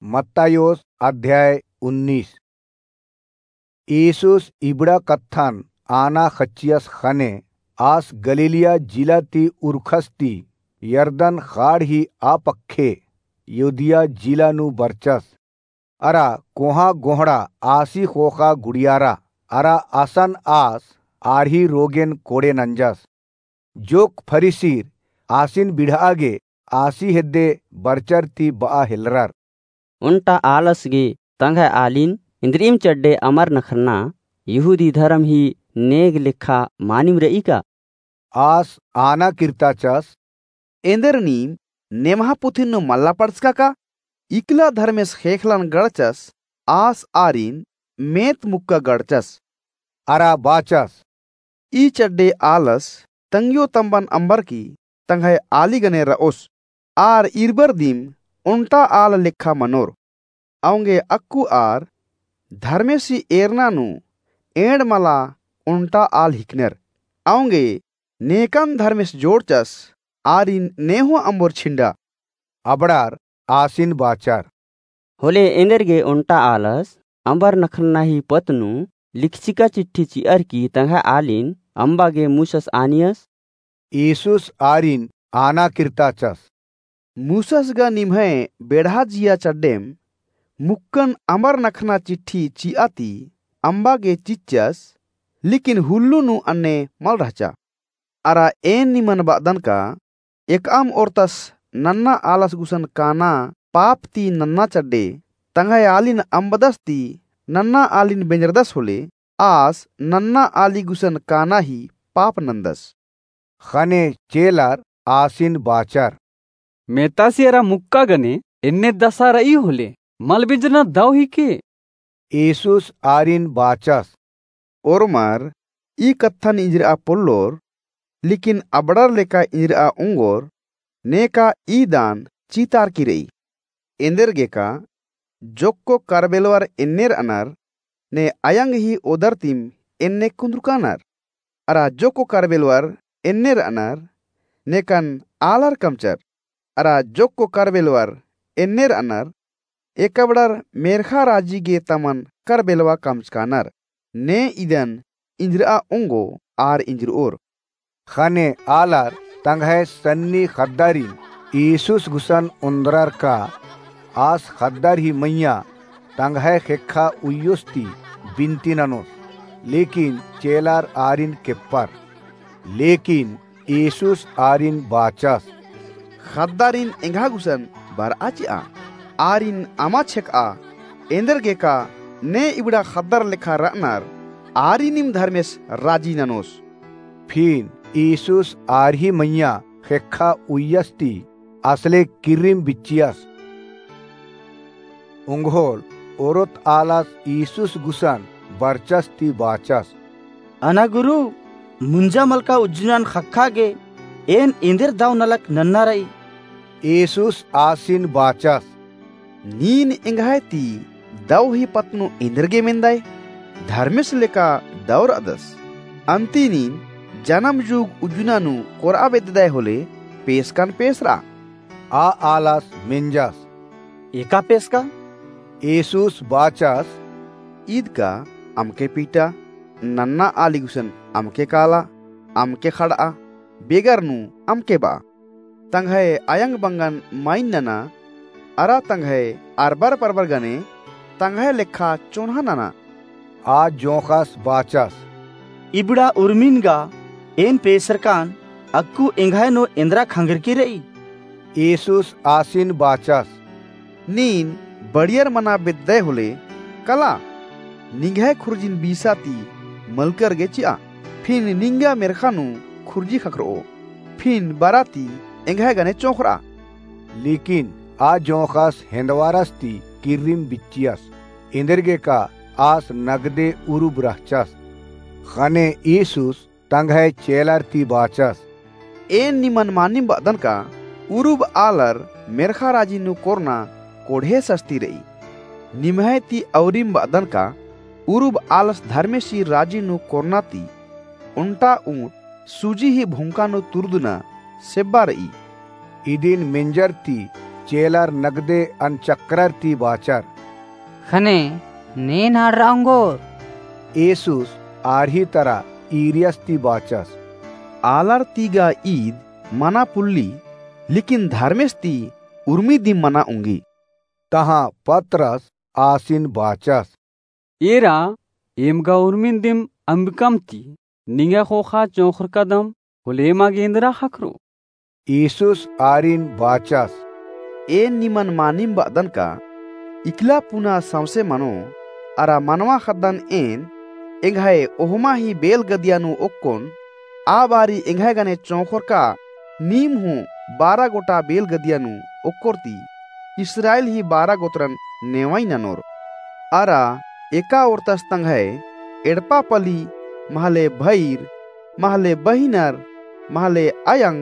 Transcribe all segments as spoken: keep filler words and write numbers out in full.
मत्तायोस अध्याय उन्नीस। ईसुस इबड़ा कत्थन आना खच्चियस ख़ने आस गलीलिया जिला ती उरखस ती यरदन ख़ाड़ ही आ पक्खे यहूदिया जिला नू बरचस। अरा कोहाँ गोहड़ा आसी ख़ोख़ा गुड़ियारा अरा असन आस आर ही रोगेन कोड़े नंजस। जोक्क फरीसीर आसिन बिड़हा गे आसी हेद्दे बरचर ती बआ हेलरर। ओन्टा आलस गे तंग्है आलिन इन्द्रिइम चड्डे अमर नखरना यहूदी धरम ही नेग लेखा मानिम रई का? आस आना किर्ताचस। एन्देर नीम नेम्हा पुथिन नू मल्ला पढ़चका का? इकला धर्मेस ख़ेख़लन गड़चस, आस आरिन मेत मुक्का गड़चस। अरा बाचस। ई चड्डे आलस तंग्यो तम्बन अम्बर की तंग्है आली गने रओस। आर इरबर दिम ओन्टा आल लेखा मनोर। औंगे अक्कु आर धर्मेसी एरना नू एंड़ मला ओन्टा आल हिकनर। औंगे नेकन धर्मेस जोड़चस, आरिन नेहूँ अम्बोर छिंडा। अबड़ार आसिन बाचर। होले एन्देर गे ओन्टा आलस अम्बर नखरना ही पत्त नू लिखचिका चिट्ठी चिअर की तंग्है आलिन अम्बा गे मूसस आनियस। ईसुस आरिन आना किर्ताचस। मूसस गा निम्है बेड़हा जिया चड्डेम मुक्कन अमर नखना चिट्ठी चिआ ती अम्बा गे चिच्चस, लेकिन हुल्लो नू अन्ने मल रहचा। अरा एन निमन बअदन का एकअम ओर्तस नन्ना आलस गुसन काना पाप ती नन्ना चड्डे तंग्है आलिन अम्बदस ती नन्ना आलिन बेंजरदस होले आस नन्ना आली गुसन काना ही पाप नन्दस। ख़ने चेलर आसिन बाचर। मेतासी एरा मुक्का गने एन्ने दसा रई होले मल बेंजरना दव हिके। ईसुस आरिन बाचस। ओर्मर ई कत्थन इंजरआ पोल्लोर, लेकिन अबड़र लेका इंजरआ ओंगोर, नेका ई दान चितारकी रई। एन्देरगेका जोक्को करबेलवर एन्ने रअनर, ने अयंग ही ओदर तिम एन्ने कुन्दुरकानर। अरा जोक्को करबेलवर एन्ने रअनर, नेकन आलर कमचर। अरा जोक्को करबेलवर एन्ने रअनर, एकबड़र मेर्ख़ा राजी गे तमन करबेलवा कमचकानर। ने इदन इंजरआ ओंगो आर इंजरओर। ख़ने आलर तंग्है सन्नी ख़द्दारिन ईसुस गुसन ओन्द्रर का आस ख़द्दर ही मइय्याँ तंग्है ख़ेक्खा उइयोस ती बिन्ती ननोस, लेकिन चेलर आरिन केप्पर। लेकिन ईसुस आरिन बाचस। ख़द्दारिन एंग्हा गुसन बरआ चिआ, आरिन अमा छेकआ, एन्देरगेका ने इबड़ा ख़द्दर लेखा रअनर, आरिनिम धर्मेस राजी ननोस। फिन ईसुस आर ही मइय्याँ ख़ेक्खा उइयस ती असले किर्रिम बिच्चियस। ओंगोल ओरोत आलस ईसुस गुसन बरचस ती बाचस। अना गुरु, मुंजा मलका उज्जुनन ख़क्खा गे एन एन्देर दव नलख नन्ना रई? ईसुस आसिन बाचस। नीन एंग्है ती दव ही पत्त नू एन्देरगे मेन्दाय? धर्मेस लेका दव रअदस। अन्ती नीन जनम जुग उज्जुना नू कोरआ बेद्ददाय होले पेसकन पेसरआ। आ आलस मेंजस। एका पेसका? ईसुस बाचस। ईद का अमके पीटा, नन्ना आली गुसन अमके काला, अमके खड़आ, बेगर नू अमके बआ। तंग्है अयंग बंगन माइन नना, अरा तंग्है अरबर परबर गने तंग्है लेखा चोन्हा नना। आ जोंख़स बाचस। इबड़ा उर्मिन गा एन पेसरकान अक्कु एंग्है नू एन्द्रा खंगरकी रई? ईसुस आसिन बाचस। नीन बड़ियर मना बेद्दय होले कला, निंग्है खुर्जिन बीसा ती मलकर गे चिआ, फिन निंगा मेर्ख़ा नू खुर्जी ख़क्खरओ, फिन बरा ती एंग्है गने चोंख़रआ। लेकिन आ जोंख़स हेन्दवारस ती किर्रिम बिच्चियस, एन्देरगेका आस नगदे उरुब रहचस। ख़ने ईसुस तंग्है चेलर ती बाचस। एन निमन मानिम बअदन का उरुब आलर मेर्ख़ा राजी नू कोरना कोड़हे सस्ती रई। निम्है ती औरिम बअदन का उरुब आलस धर्मेसी राजी नू कोरना ती ओन्टा ऊँट सूजी ही भोंका नू तुरुदना सेब्बा रई। इदिन मेंजर ती चेलर नगदे अनचकरर ती बाचर, ख़ने ने नाड़रा ओंगोर? येसुस आर ही तरा ईरियस ती बाचस, आलर ती गा ईद मना पुल्ली, लेकिन धर्मेस ती उर्मी दिम मना ओंगी। तहाँ पतरस आसिन बाचस, एरा, एम गा उर्मिन दिम अम्बिकम ती निंग्है ख़ोख़ा चोंख़रकादम होले एमा गे एन्दरा ख़क्खरो? येसुस आरिन बाचस, एन निमन मानिम बअदन का, इकला पुना सौंसे मनो, अरा मनवा ख़द्दन एन, एंग्है ओहमा ही बेलगदिया नू ओक्कोन, आ बारी एंग्है गने चोंख़रका नीम हूँ बारा गोटा बेलगदिया नू ओक्कोर ती, इस्राएल ही बारा गोत्रन नेवई ननोर। अरा एका ओर्तस तंग्है एड़पा पली, महले भइर, महले बहिनर, महले अयंग,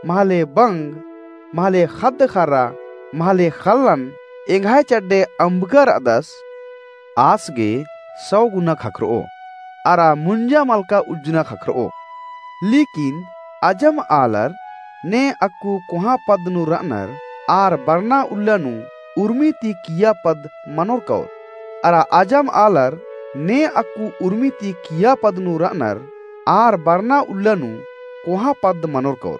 महले बंग, महले ख़द्द-ख़र्रा, महले ख़ल्लन, एंग्है चड्डे अम्बका रअदस, आस गे सौ गुना ख़क्खरओ, अरा मुंजा मलका उज्जना ख़क्खरओ। लेकिन अजम आलर ने अक्कु कोहाँ पद्द नू रअनर, आर बरना उल्ला नू उर्मी ती किय्या पद्द मनोर कओर। अरा अजम आलर ने अक्कु उर्मी ती किय्या पद्द नू रअनर, आर बरना उल्ला नू कोहाँ पद्द मनोर कओर।